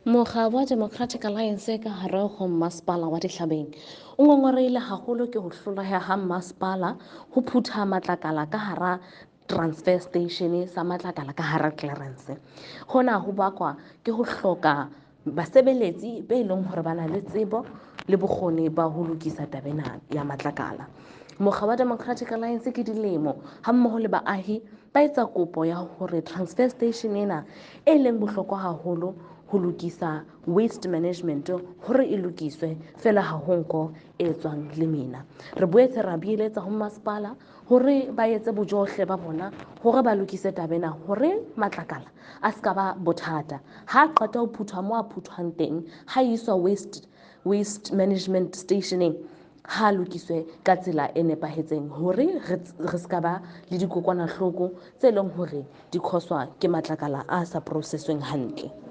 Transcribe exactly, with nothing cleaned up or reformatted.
Mokga wa Democratic Alliance ka hare ho Masepala wa Dihlabeng o ngongorehile haholo ke ho hloleha ha masepala ho phutha matlakala ka hara transfer station sa matlakala ka hara clearance. Hona ho bakwa ke ho hloka basebeletsi be leng hore ba na le tsebo le bokgoni ba ho lokisa taba ena ya matlakala. Mokga wa Democratic Alliance ke dilemo ha mmoho le baahi ba etsa kopo ya hore transfer station ena e leng bohlokwa haholo ho lokisa waste management hore e lokiswe fela ha ho nko e tswang lemina. Re boetse ra beeletsa ho masepala hore ba etse bojohle ba bona hore ba lokise taba ena hore matlakala a ska ba bothata. Ha qeta ho phuthwa mo a phuthwang teng, ha iswa waste waste management stationeng, ha lokiswe ka tsela e nepahetseng hore re ska ba le dikokwanahloko tse leng hore di khoswa ke matlakala a sa process-weng hantle.